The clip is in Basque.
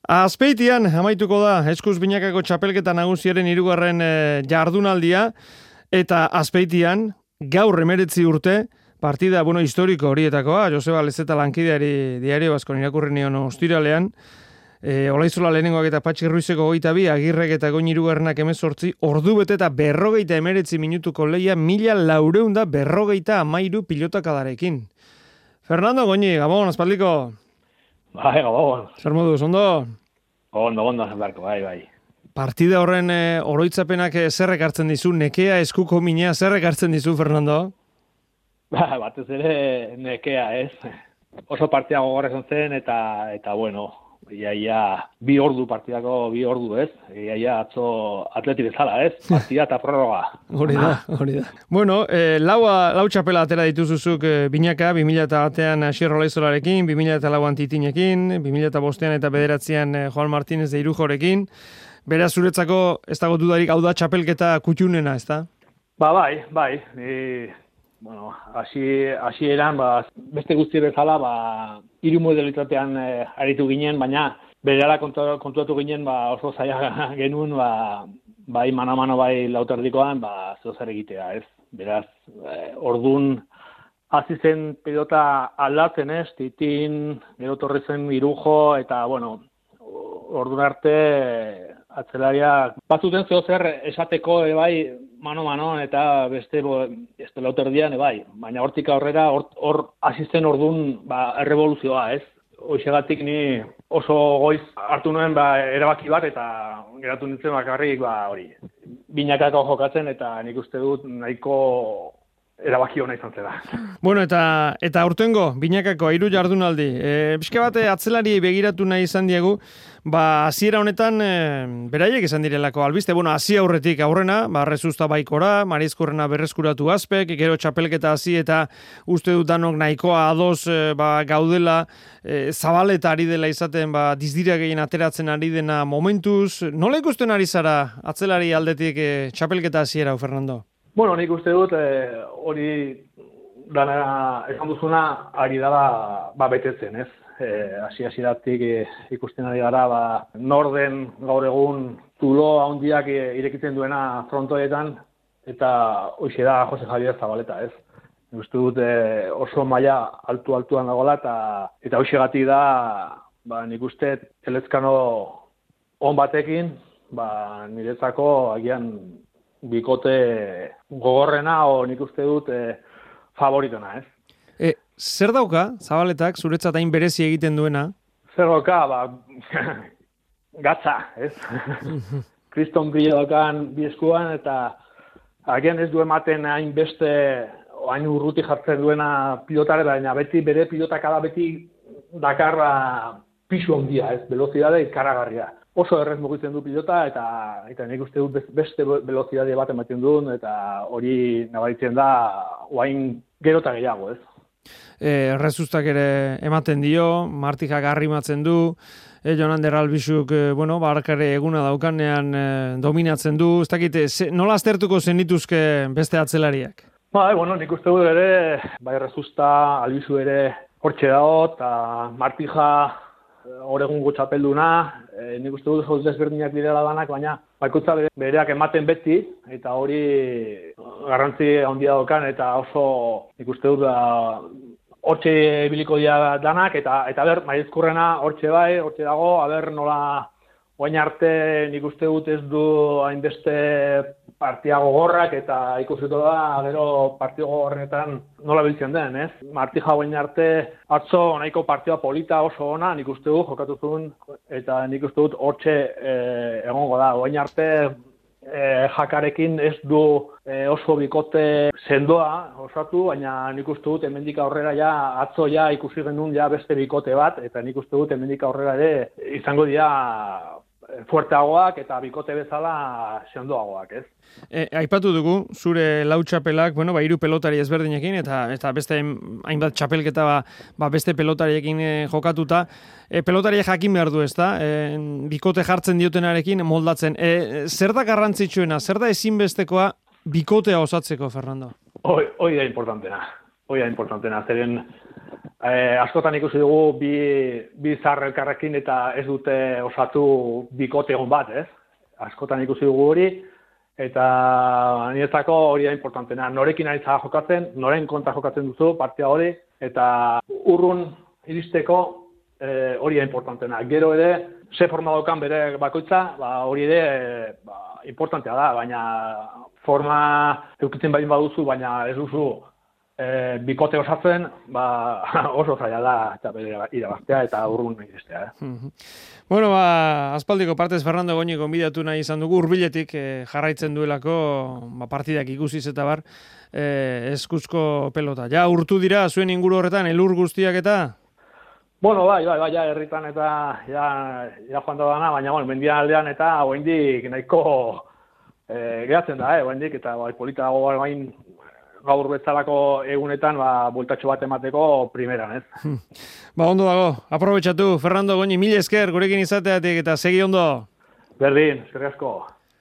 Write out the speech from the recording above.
Azpeitian amaituko da Eskuz Binakako txapelketa nagusiaren 3. jardunaldia eta Azpeitian gaur 19 urte partida historiko horietakoa, Joseba Lezeta lankideari Diario Baskon irakurri nion ostiralean, Olaizola lehenengoak eta Patxi Ruizeko 22, Agirrek eta Goñi 18, ordu bete eta 59 minutuko leia 1453 pilotakadarekin. Fernando Goñi, Gabon, aspaldiko. Bai, Gabon. Zer moduz, ondo? Ondo, Barko, bai. Partida horren oroitzapenak zerrek hartzen dizu, nekea, eskuko minea, zerrek hartzen dizu, Fernando? Batez ere nekea, ez? Oso partida gogorra zen eta bueno, iaia 2 ordu partidako 2 ordu, ez? Iaia atzo atleti bezala, ez? Partida eta prorroga. Hori da. Bueno, lau txapela atera dituzuzuk Binaka, 2001an Asier Olaizolarekin, 2004an Titinekin, 2005an eta 2009an Juan Martínez de Irujorekin. Beraz, zuretzako ez dago dudarik hau da txapelketa kutxunena, ez da? Bai. Bueno, hasieran beste guzti bezala, 3 modalitatean aritu ginen, baina berehala kontuatu ginen, oso zaila genuen, bai mano bai lauterdikoan, zer egitea, ez? Beraz, ordun hasi zen pilota aldatzen, ez? Titin, gero torri zen Irujo, eta, bueno, ordun arte atzelariak batzuten zer esateko bai mano eta beste lauterdian bai, baina hortik aurrera hor hasi zen ordun errevoluzioa, ez? Hoixegatik ni oso goiz hartu nuen erabaki bat eta geratu nintzen bakarrik hori. Binakako jokatzen eta nik uste dut nahiko erabaki ona izan zela. Bueno, eta aurtengo Binakako 3 jardunaldi. Pixka bat atzelari begiratu nahi izan diegu, hasiera honetan beraiek izan direlako albiste. Bueno, hasi aurretik aurrena, Rezusta baikora, Marizkorrena berreskuratu Azpek, gero txapelketa hasi eta uste dut danok nahikoa ados gaudela, Zabaleta ari dela izaten, dizdira gehien ateratzen ari dena momentuz. Nola ikusten ari zara atzelari aldetik txapelketa hasiera, Fernando? Bueno, nik uste dut hori dana esan duzuna ari dela betetzen, ez? Hasieratik ikusten ari gara, norden gaur egun zulo handiak irekitzen duena frontoetan, eta hoxe da Jose Javier Zabaleta, ez? Nik uste dut oso maila altuan dagoela, eta hoxegatik da, nik uste Elezkano on batekin, niretzako agian bikote gogorrena nik uste dut favoritona, ez? Zer dauka, Zabaletak, zuretzat hain berezi egiten duena? Zer dauka, gatza, ez? Kriston bila daukan bi eskuan, eta agian ez du ematen hain urruti jartzen duena pilotare, baina beti bere pilotakada beti dakarra pisu handia, ez? Velozidade ikaragarria. Oso errez mugitzen du pilota eta nik uste dut beste velozidade bat ematen duen eta hori nabaritzen da oain gero eta gehiago, ez? Rezustak ere ematen dio, Martijak arrimatzen du, Jonander Albizuk, barkare eguna daukanean dominatzen du, ez dakit, nola aztertuko zenituzke beste atzelariak? Nik uste dut ere, Rezusta, Albizu ere hortxe dago, eta Martija hor egungo txapelduna, nik uste dut oso desberdinak direla danak, baina bakoitza bereak ematen beti, eta hori garrantzi handia daukan, eta oso nik uste dut hortxe ibiliko dira danak, eta ber, Marizkurrena hortxe dago, nola oain arte nik uste dut ez du hainbeste partia gogorrak, eta ikusiko da, gero partio gogorrenetan nola biltzen den, ez? Martija oain arte atzo nahiko partida polita oso ona, nik uste dut jokatu zuen, eta nik uste dut hortxe egongo da. Oain arte Jakarekin ez du oso bikote sendoa osatu, baina nik uste dut hemendik aurrera atzo ikusi genuen beste bikote bat, eta nik uste dut hemendik aurrera ere izango dira fuerteagoak eta bikote bezala sendoagoak, ez? Aipatu dugu, zure lau txapelak, 3 pelotari ezberdinekin, eta beste hainbat txapelketa beste pelotariekin jokatuta. Pelotariak jakin behar du, ez da? Bikote jartzen diotenarekin moldatzen. Zer da garrantzitsuena, zer da ezinbestekoa bikotea osatzeko, Fernando? Hoi da importantena. Zeren Askotan ikusi dugu bi zar elkarrekin eta ez dute osatu bikote egon bat, ez? Askotan ikusi dugu hori, eta niretzako hori da importantena. Norekin ari zara jokatzen, noren kontra jokatzen duzu partia hori, eta urrun iristeko hori da importantena. Gero ere, ze forma daukan bere bakoitza, hori ere importantea da, baina forma eukitzen baldin baduzu, baina ez duzu bikote osatzen, oso zaila da eta irabaztea eta urrun iristea. Bueno, aspaldiko partez Fernando Goñi gonbidatu nahi izan dugu, hurbiletik jarraitzen duelako partidak ikusiz eta bar, eskuzko pelota. Ja, urtu dira zuen inguru horretan, elur guztiak eta? Bueno, bai, ja, herritan eta ja joan da dana, baina, mendian aldean eta oraindik nahiko geratzen da, oraindik, eta polita dago bain gaur bezalako egunetan, bueltatxo bat emateko primeran, ez? Ondo dago, aprobetxatu, Fernando Goñi, mila esker gurekin izateatik eta segi ondo. Berdin, eskerrik asko.